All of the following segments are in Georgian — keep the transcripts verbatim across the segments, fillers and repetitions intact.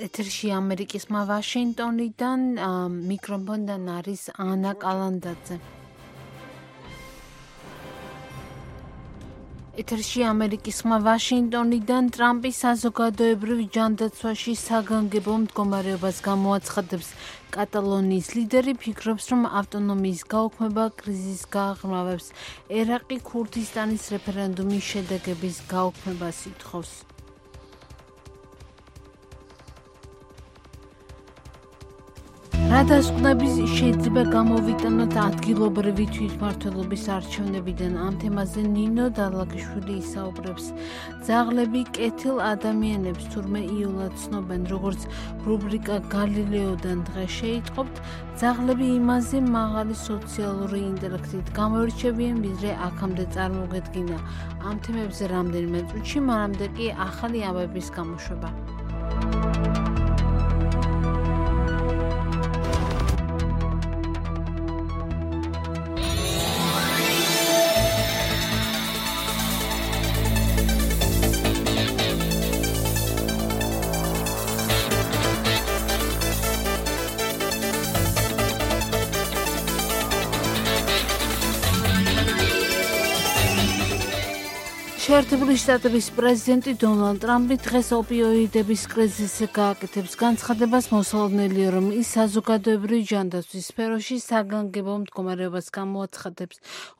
ეთერში ამერიკისმა ვაშინგტონიდან მიკროფონთან არის ანა კალანდაძე. ეთერში ამერიკისმა ვაშინგტონიდან ტრამპის საზოგადოებრივ ჯანდაცვაში საგანგებო მდგომარეობას გამოაცხადებს. კატალონიის ლიდერი ფიქრობს, რომ ავტონომიის გაუქმება კრიზისს გააღრმავებს. ერაყი ქურთისტანის რეფერენდუმის შედეგების გაუქმებას ითხოვს. რა დასკვნების შეიძლება გამოვიტანოთ ადგილობრივი თვითმმართველობის არჩევნებიდან? ამ თემაზე ნინო დალაგიშვილი ისაუბრებს. ძაღლები კეთილ ადამიანებს თურმე იოლად ცნობენ, როგორც რუბრიკა გალილეოდან დღეს შეიტყობთ, ძაღლები იმაზე მაღალი სოციალური ინტელექტით გამოირჩევიან, ვიდრე აქამდე წარმოგედგინა. ამ თემებზე რამდენიმე წუთში, მანამდე კი ახალი ამბების გამოშვება. შეერთებული შტატების პრეზიდენტი დონალდ ტრამპი დღეს ოპიოიდების კრიზისზე გააკეთებს განცხადებას, მოსალოდნელია, რომ ის საზოგადოებრივი ჯანდაცვის სფეროში საგანგებო მდგომარეობას გამოაცხადებს.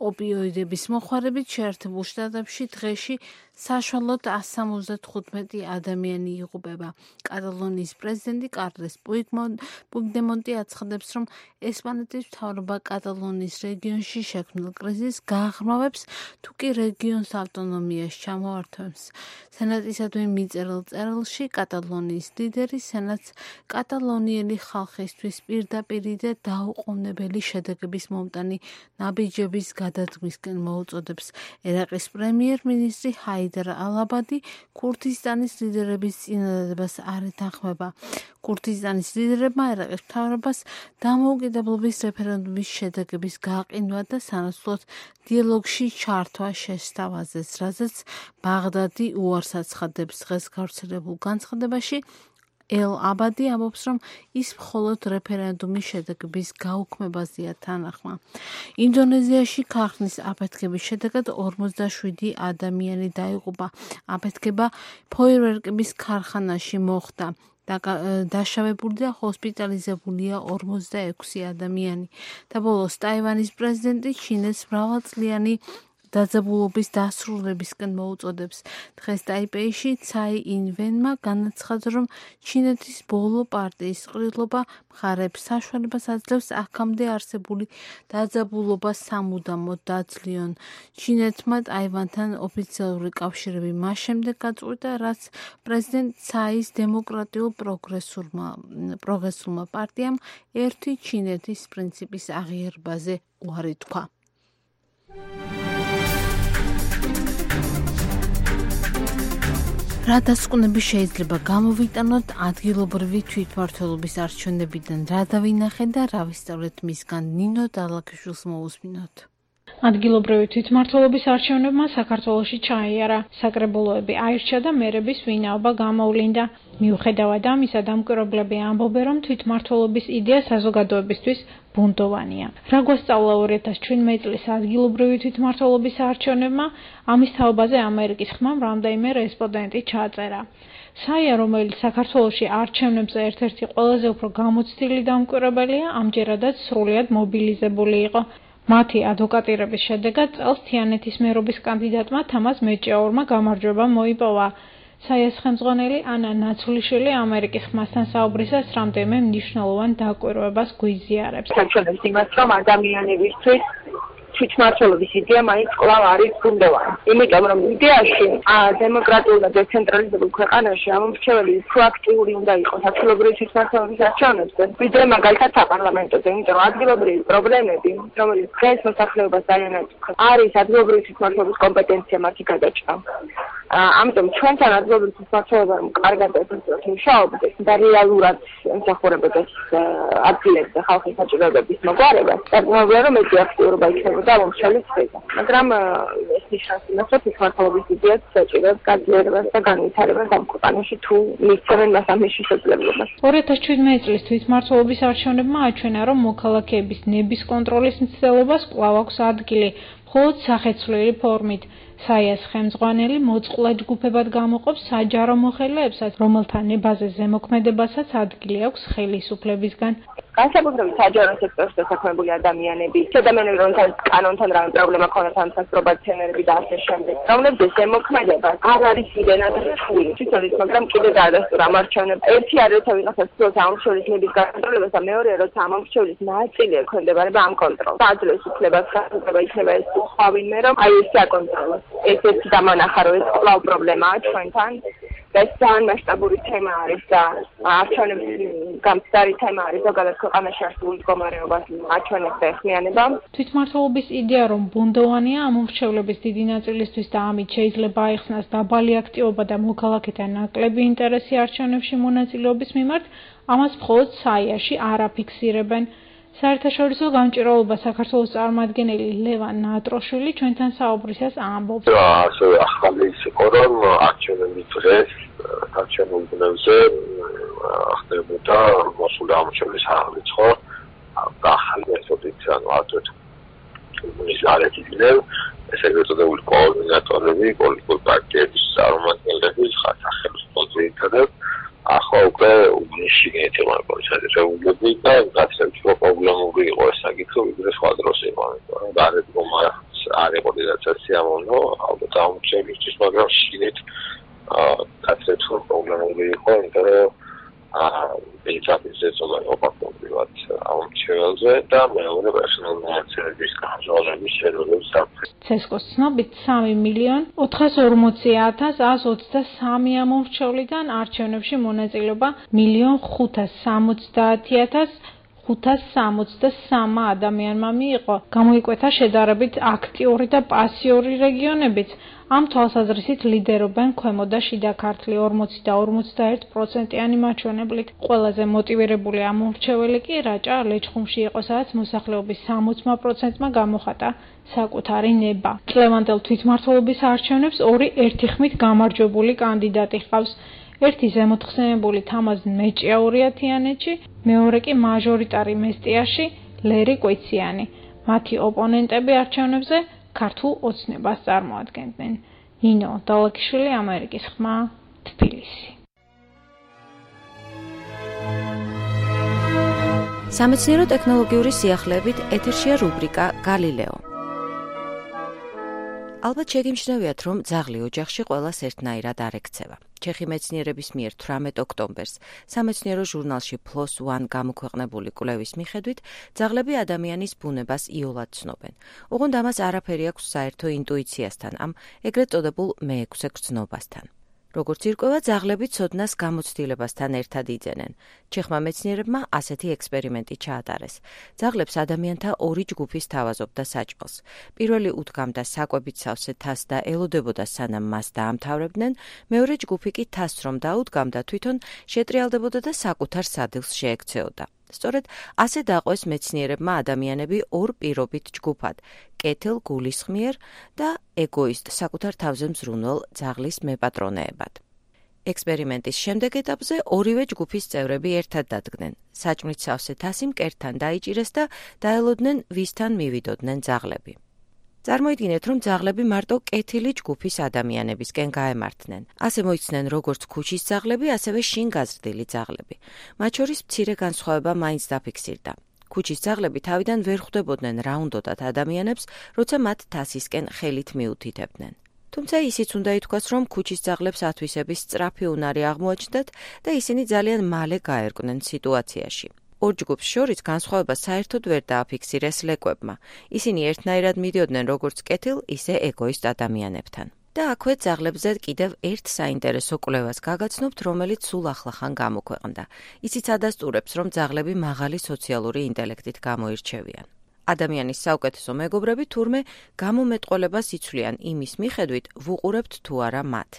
ოპიოიდების მოხმარებით შეერთებულ შტატებში დღეში საშუალოდ εκατს სამოცდათხუთმეტი ადამიანი იღუპება. კატალონიის პრეზიდენტი კარლეს პუიგდემონტი აცხადებს, რომ ესპანეთის მთავრობა კატალონიის რეგიონში შექმნილ კრიზისს გააღრმავებს, თუ კი რეგიონს ავტონომიას ჩამოართვებს. სენატისადმი მიწერილ წერილში კატალონიის ლიდერი სენატს კატალონიელი ხალხისთვის პირდაპირი და დაუყოვნებელი შედეგების მომტანი ნაბიჯების გადადგმისკენ მოუწოდებს. ერაყის პრემიერ-მინისტრი ჰაიდარ ალ-აბადი ქურთისტანის ლიდერების წინადადებას არ ეთანხმება. ქურთისტანის ლიდერებმა ერაყის მთავრობას დამოუკიდებლობის რეფერენდუმის შედეგების გაყინვა და სანაცვლოდ დიალოგში ჩართვა შესთავაზეს, რაზეც ბაღდადი უარს აცხადებს. დღეს გავრცელებულ განცხადებაში ელ-აბადი ამბობს, რომ ის მხოლოდ რეფერენდუმის შედეგების გაუქმებაზეა თანახმა. ინდონეზიაში ქარხნის აფეთქების შედეგად ორმოცდაშვიდი ადამიანი დაიღუპა. აფეთქება ფოიერვერკების ქარხანაში მოხდა. დაშავებული და ჰოსპიტალიზებულია ორმოცდაექვსი ადამიანი. და ბოლოს ტაივანის პრეზიდენტი ჩინეთს მრავალწლიანი დაძაბულობის დასრულებისკენ მოუწოდებს. დღეს ტაიპეიში ცაი ინვენმა განაცხადა, რომ ჩინეთის ბოლო პარტიის ყრილობა მხარებს საშუალებას აძლევს აქამდე არსებული დაძაბულობა სამუდამოდ დაძლიონ. ჩინეთმა ტაივანთან ოფიციალური კავშირები მას შემდეგ გაწყვიტა, რაც პრეზიდენტ ცაის დემოკრატიულ პროგრესულმა პარტიამ ერთი ჩინეთის პრინციპის აღიარებაზე უარი თქვა. რა დასკვნები შეიძლება გამოვიტანოთ ადგილობრივი თვითმმართველობის არჩევნებიდან? რა დავინახეთ და რა ვისწავლეთ მისგან? ნინო დალაგიშვილს მოусმინოთ. ადგილობრივი თვითმმართველობის არჩევნებმა საქართველოში ჩაიარა. საკრებულოები აირჩა და მერების ვინაობა გამოვლინდა. მიუხედავად ამისა, დამკვირვებლები ამბობენ, რომ თვითმმართველობის იდეა საზოგადოებისთვის ბუნდოვანია. რა გვასწავლა ორი ათას ჩვიდმეტი წლის ადგილობრივი თვითმმართველობის არჩევნებმა? ამის თაობაზე ამერიკის ხმამ რამდენიმე რესპონდენტი ჩაწერა. საია, რომელიც საქართველოში არჩევნებზე ერთ-ერთი ყველაზე უფრო გამოცდილი დამკვირვებელია, ამჯერადაც სრულიად მობილიზებული იყო. მათი ადვოკატირების შედეგად წელს თიანეთის მერობის კანდიდატმა თამაზ მეჭიაურმა გამარჯვება მოიპოვა. საიას ხელმძღვანელი ანა ნაცვლიშვილი ამერიკის ხმასთან საუბრისას რამდენიმე მნიშვნელოვან დაკვირვებას გვიზიარებს. საჩვენებს იმას, რომ ადამიანებისთვის თვითმმართველობის იდეა მაინც კვლავ არის ბუნდოვანი. იმიტომ რომ იდეაში დემოკრატიულ და დეცენტრალიზებულ ქვეყანაში ამომრჩეველი უფრო აქტიური უნდა იყოს ადგილობრივი თვითმმართველობის არჩევნებზე, ვიდრე მაგალითად საპარლამენტოზე. იმიტომ რომ ადგილობრივი პრობლემები, რომელიც დღეს მოსახლეობას დაიანაცხებს, არის ადგილობრივი თვითმმართველობის კომპეტენცია მათი გადაჭრა. ამიტომ ჩვენთან ადგილობრივ თვითმმართველობამ კარგად ეფექტურად მუშაობდეს და რეალურად ემსახურებოდეს ადგილებზე ხალხის საჭიროებების მოგვარებას. წარმოგვიდგება, რომ ეს აქტიურობა იქნებოდა მომშრალის ხეზე. მაგრამ ეს ნიშნავს იმას, რომ თვითმმართველობის იდეაც საჭიროებს გაძლიერებას და განვითარებას ამ ქვეყანაში თუ მისცემენ მას ამის შესაძლებლობას. ორი ათას შვიდმეტი წლის თვითმმართველობის არჩევნებმა აჩვენა, რომ მოქალაქეების ნების კონტროლის მცდელობას კვლავ აქვს ადგილი, მხოლოდ სახეცვლილი ფორმით. საიას ხელმძღვანელი მოწყვლად ჯგუფებად გამოყოფს საჯარო მოხელეებსაც, რომელთა ნებაზე ზემოქმედებასაც ადგილი აქვს ხელისუფლებისგან. განსაკუთრებით საჯარო სექტორში დასაქმებული ადამიანები, ადამიანები, რომელთაც კანონთან რამე პრობლემა ქონათ, ან სასწრაფოებათენერები და ასე შემდეგ. რომლებზეც ზემოქმედება არ არის იდენად რთული. თვითონ ის, მაგრამ კიდე დაადასტურა ამ არჩევნებს. ერთი არის, როცა ვიღაცას ცდილობს ამომრჩევლის ნების გაკონტროლებას და მეორეა, როცა ამომრჩევლის ნაწილი ექვემდებარება ამ კონტროლს. აძლევს უფლებას, გასაგება იქნება ეს სხვა ვინმე, რომ აი ეს აკონტროლოს. ეს ერთი დამანახა, რომ ეს კვლავ პრობლემაა ჩვენთან. ეს ძალიან მასშტაბური თემა არის და არჩევნების გამწდარი თემა არის ზოგადად ქვეყანაში არსებული მდგომარეობას აჩვენებს და ეხმიანება. თვითმმართველობის იდეა, რომ ბუნდოვანია ამომრჩევლების დიდი ნაწილისთვის და ამით შეიძლება აიხსნას დაბალი აქტივობა და მოქალაქეთა ნაკლები ინტერესი არჩევნებში მონაწილეობის მიმართ, ამას მხოლოდ საიაში არ აფიქსირებენ. საერთაშორისო გამჭირვალობა საქართველოს წარმომადგენელი ლევან ნატროშვილი ჩვენთან საუბრისას ამბობს. ასევე ახალი იყო, რომ არჩევნების დღეს არჩევნულ ბუნებაზე ხდებოდა მოსული ამომრჩევლის აღრიცხვა და ახალი მეთოდით, ანუ ატვეთ კომუნის არეთიდან ეს ეგრეთ წოდებული კოორდინატორები, პოლიტიკური პარტიების წარმომადგენლები, სახელმწიფო ძირითადად ახლა უკვე შიგნით იყო შესაძლებელი და გაცემთ რომ პრობლემური იყო ეს საკითხი ვიდრე სხვა დროს იყო, მაგრამ გარეთ რომ არ იყო დედაცაც სიამოვნო, ალბათ ამჩევლისთვის, მაგრამ შიგნით გაცემთ რომ პრობლემური იყო, იმიტომ რომ ბეჭდების ზოგადად ოპაკობრივად ამჩეველზე და მეორე პერსონალური მონაცემების გამჟღავნების შედეგებს საფრთხე. ცესკოს ცნობით სამი მილიონი ოთხას ორმოცი ათას ათს ოცდასამი ამომრჩევლიდან არჩევნებში მონაწილეობა მილიონ ხუთას სამოცდაათი ათას ხუთას სამოცდასამი ადამიანმა მიიღო. გამოიკვეთა შედარებით აქტიური და პასიური რეგიონებიც. ამ თვალსაზრისით ლიდერობენ ქვემო და შიდა ქართლი ორმოცი და ორმოცდაერთი პროცენტიანი მაჩვენებლით. ყველაზე მოტივირებული ამომრჩეველი კი რაჭა ლეჩხუმში იყო, სადაც მოსახლეობის სამოცი პროცენტმა გამოხატა საკუთარი ნება. წლევანდელ თვითმმართველობის არჩევნებს ორი ერთიხმით გამარჯვებული კანდიდატი ჰყავს. ერთი ზემოთხსენებული თამაზ მეჭიაურიათიანეთში, მეორე კი მაჟორიტარი მესტიაში ლერი კვიციანი. მათი ოპონენტები არჩევნებზე ქართულ ოცნებას წარმოადგენდნენ. ნინო დალაკიშვილი, ამერიკის ხმა, თბილისი. სამეცნიერო ტექნოლოგიური სიახლეებით ეთერშია რუბრიკა გალილეო. ალბათ შეგიმჩნევიათ, რომ ძაღლი ოჯახში ყველას ერთნაირად არ ექცევა. ჩეხი მეცნიერების მიერ თვრამეტ ოქტომბერს სამეცნიერო ჟურნალში ფლოს ვან გამოქვეყნებული კვლევის მიხედვით, ძაღლები ადამიანის ბუნებას იოლად ცნობენ. ოღონდ ამას არაფერი აქვს საერთო ინტუიციასთან, ამ ეგრეთ წოდებულ მეექვსე გრძნობასთან. როგორც ირკვევა, ძაღლები ცოდნას გამოცდილებასთან ერთად იძენენ. ჩეხმა მეცნიერებმა ასეთი ექსპერიმენტი ჩაატარეს. ძაღლებს ადამიანთა ორი ჯგუფი სთავაზობდა საჭმელს. პირველი უდგამდა საკვებით სავსე თასს და ელოდებოდა სანამ მას დაამთავრებდნენ, მეორე ჯგუფი კი თასს რომ დაუდგამდა, თვითონ შეტრიალდებოდა და საკუთარ სადილს შეექცეოდა. სწორედ ასე დაყვეს მეცნიერებმა ადამიანები ორ პირობით ჯგუფად, კეთილ გულისხმიერ და ეგოისტ საკუთარ თავზე მზრუნველ ძაღლის მეპატრონეებად. ექსპერიმენტის შემდეგ ეტაპზე ორივე ჯგუფის წევრები ერთად დადგნენ. საჭმლით სავსე თასი მკერდთან დაიჭირეს და დაელოდნენ, ვისთან მივიდოდნენ ძაღლები. წარმოიდგინეთ, რომ ძაღლები მარტო კეთილი ჯგუფის ადამიანებისკენ გაემართნენ. ასე მოიცნენ როგორც ქუჩის ძაღლები, ასევე შინგაზრდილი ძაღლები. მათ შორის მცირე განსხვავება მაინც დაფიქსირდა. ქუჩის ძაღლები თავიდან ვერ ხვდებოდნენ რა უნდოდათ ადამიანებს, როცა მათ თასისკენ ხელით მიუთითებდნენ. თუმცა ისიც უნდა ითქვას, რომ ქუჩის ძაღლებს ათვისების სწრაფი უნარი აღმოაჩნდათ და ისინი ძალიან მალე გაერკვნენ სიტუაციაში. ორ ჯგუფს შორის განსხვავება საერთოდ ვერ დააფიქსირეს ლეკვებმა. ისინი ერთნაირად მიდიოდნენ როგორც კეთილ, ისე ეგოისტ ადამიანებთან. და აქვე ძაღლებზე კიდევ ერთ საინტერესო კვლევას გაგაცნობთ, რომელიც სულ ახლახან გამოქვეყნდა. ისიც ადასტურებს, რომ ძაღლები მაღალი სოციალური ინტელექტით გამოირჩევიან. ადამიანის საუკეთესო მეგობრები თურმე გამომეტყველებას იცვლიან იმის მიხედვით, ვუყურებთ თუ არა მათ.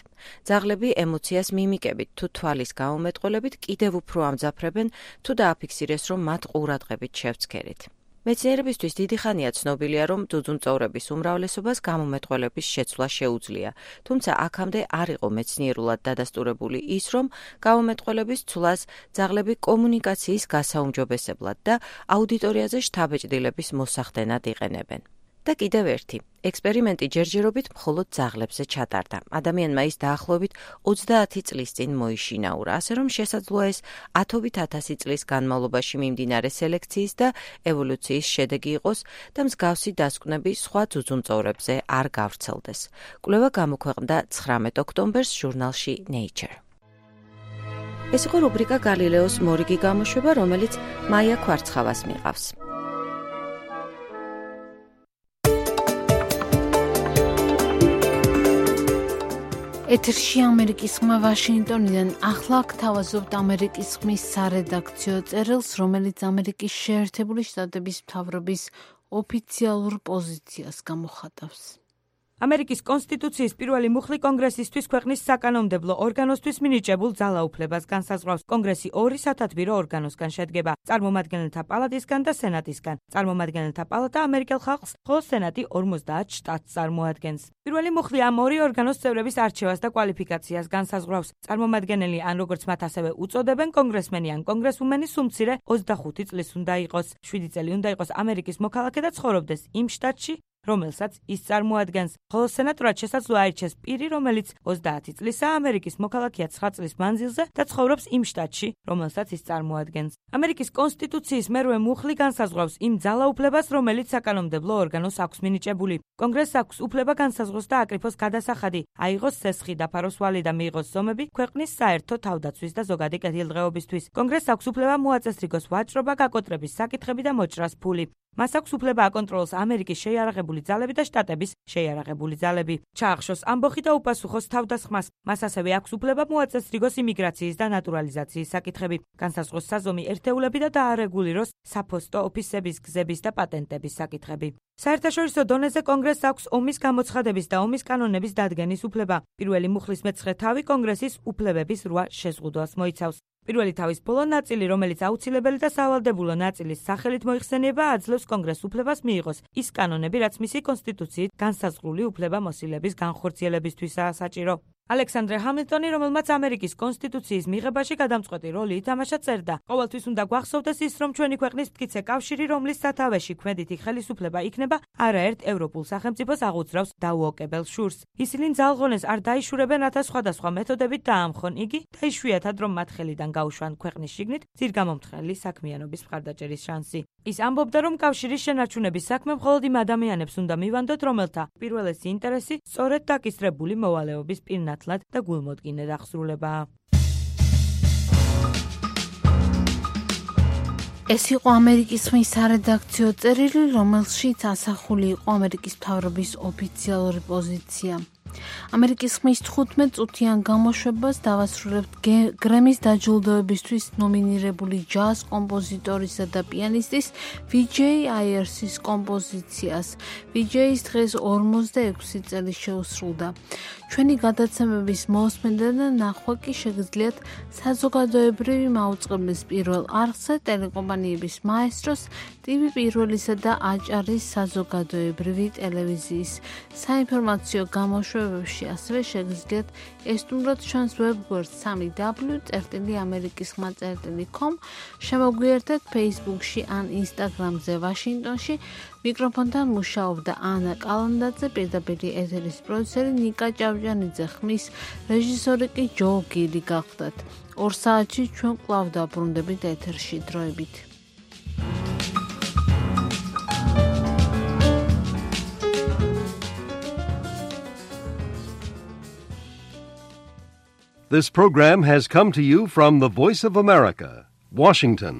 ძაღლები ემოციას მიმიკებით თუ თვალის გამომეტყველებით კიდევ უფრო ამძაფრებენ თუ დააფიქსირეს, რომ მათ ყურადღებით შევცქერით. მეცნიერებისთვის დიდი ხანია ცნობილია, რომ ძუძუმწოვრების უმრავლესობას გამომეტყველების შეცვლა შეუძლია, თუმცა აქამდე არ იყო მეცნიერულად დადასტურებული ის, რომ გამომეტყველების ცვლას ძაღლები კომუნიკაციის გასაუმჯობესებლად და აუდიტორიაზე შთაბეჭდილების მოსახდენად იყენებენ. და კიდევ ერთი, ექსპერიმენტი ჯერჯერობით მხოლოდ ძაღლებზე ჩატარდა. ადამიანმა ის დაახლოებით ოცდაათი წლის წინ მოიშინაურა, ასე რომ შესაძლოა ეს ათობით ათასი წლის განმავლობაში მიმდინარე სელექციის და ევოლუციის შედეგი იყოს და მსგავსი დასკვნები სხვა ძუძუმწოვრებზე არ გავრცელდეს. კვლევა გამოქვეყნდა ცხრამეტ ოქტომბერს ჟურნალში Nature. ეს იყო რუბრიკა გალილეოს მორიგი გამოშვება, რომელიც მაია ქვარცხავას მიყავს. ეთერში ამერიკის ხმა ვაშინგტონიდან. ახლა გთავაზობთ ამერიკის ხმის სარედაქციო წერილს, რომელიც ამერიკის შეერთებული შტატების მთავრობის ოფიციალურ პოზიციას გამოხატავს. ამერიკის კონსტიტუციის პირველი მუხლი კონგრესისთვის ქვეყნის საკანონმდებლო ორგანოსთვის მინიჭებულ ძალაუფლებას განსაზღვრავს. კონგრესი ორი სათათბირო ორგანოსგან შედგება: წარმომადგენელთა პალატისგან და სენატისგან. წარმომადგენელთა პალატა ამერიკელ ხალხს, ხოლო სენატი ორმოცდაათ შტატს წარმოადგენს. პირველი მუხლი ამ ორი ორგანოს წევრების არჩევას და კვალიფიკაციას განსაზღვრავს. წარმომადგენელი ან როგორც მათ ასევე უწოდებენ, კონგრესმენი ან კონგრესვუმენი სუმცირე ოცდახუთი წლის უნდა იყოს. შვიდი წელი უნდა იყოს ამერიკის მოქალაქე და ცხოვრობდეს იმ შტატში, რომელსაც ის წარმოადგენს. ხოლო სენატორად შესაძლოა აირჩეს პირი, რომელიც ოცდაათი წლისაა, ამერიკის მოქალაქეა ცხრა წლის მანძილზე და ცხოვრობს იმ შტატში, რომელსაც ის წარმოადგენს. ამერიკის კონსტიტუციის მერვე მუხლი განსაზღვრავს იმ ძალაუფლებას, რომელიც საკანონმდებლო ორგანოს აქვს მინიჭებული. კონგრესს აქვს უფლება განსაზღვროს და აკრიფოს გადასახადი, აიღოს სესხი, დაფაროს ვალი და მიიღოს ზომები ქვეყნის საერთო თავდაცვის და ზოგადი კეთილდღეობისთვის. კონგრესს აქვს უფლება მოაწესრიგოს ვაჭრობა, გაკოტრების საკითხები და მოჭრას ფული. მას აქვს უფლება აკონტროლოს ამერიკის შეიარაღებული ძალები და შტატების შეიარაღებული ძალები. ჩაახშოს ამბოხი და უპასუხოს თავდასხმას. მას ასევე აქვს უფლება მოაწესრიგოს იმიგრაციის და ნატურალიზაციის საკითხები, განსაზღვროს საზომი ერთეულები და დაარეგულიროს საფოსტო ოფისების, გზების და პატენტების საკითხები. საერთაშორისო დონეზე კონგრესს აქვს ომის გამოცხადების და ომის კანონების დადგენის უფლება. პირველი მუხლის მეცხრე თავი კონგრესის უფლებების რვა შეზღუდვას მოიცავს. პირველი თავის ბოლო ნაწილი, რომელიც აუცილებელი და სავალდებულო ნაწილის სახელით მოიხსენიება, აძლევს კონგრესს უფლებას მიიღოს ის კანონები, რაც მისი კონსტიტუციით განსაზღვრული უფლება-მოსილების განხორციელებისთვისაა საჭირო. ალექსანდრე ჰამილტონი, რომელმაც ამერიკის კონსტიტუციის მიღებაში გადამწყვეტი როლი ითამაშა, წერდა: ყოველთვის უნდა გვახსოვდეს ის, რომ ჩვენი ქვეყნის მტკიცე კავშირი, რომლის სათავეში ქმედითი ხელისუფლება იქნება, არაერთ ევროპულ სახელმწიფოს აღუძრავს დაუოკებელ შურს. ისინი ძალღონეს არ დაიშურებენ, რათა სხვადასხვა მეთოდებით დაამხონ იგი და იშვიათად რომ მათ ხელიდან გაუშვან ქვეყნის შიგნით ძირგამომთხრელი საქმიანობის მხარდაჭერის შანსი. ის ამბობდა, რომ კავშირის შენარჩუნების საქმე მხოლოდ იმ ადამიანებს უნდა მივანდოთ, რომელთა პირველესი ინტერესი სწორედ დაკისრებული მოვალეობის პირნათლად და გულმოდგინედ აღსრულებაა. ეს იყო ამერიკის ხმის სარედაქციო წერილი, რომელშიც ასახული იყო ამერიკის მთავრობის ოფიციალური პოზიცია. ამერიკის ხმის თხუთმეტ წუთიან გამოშვებას დავასრულებთ გრემის დაჯილდოებისთვის ნომინირებული ჯაზ კომპოზიტორისა და პიანისტის ვიჯეი აიერსის კომპოზიციას. ვიჯეის დღეს ორმოცდაექვსი წელი შეუსრულდა. ჩვენი გადაცემების მოსმენდა და ნახვა კი შეგიძლიათ საზოგადოებრივი მაუწყებლის პირველ არხზე, ტელეკომპანიების მაესტროს, ტივი პირველისა და აჭარის საზოგადოებრივი ტელევიზიის საინფორმაციო გამოშვებებში, ასევე შეგიძლიათ ესტუმროთ ჩვენს ვებგვერდს სამი დაბლიუ წერტილი ამერიკის ხმა წერტილი com, შემოგვიერთეთ Facebook-ში ან Instagram-ზე ვაშინგტონში. მიკროფონთან მუშაობდა ანა კალანდაძე, პირდაპირ ეთერის პროდიუსერი ნიკა ჭავჭანიძე, ხმის რეჟისორი კი ჯო გილი გახლდათ. ორ საათში ჩვენ კვლავ დაბრუნდებით ეთერში. დროებით. This program has come to you from the Voice of America, Washington.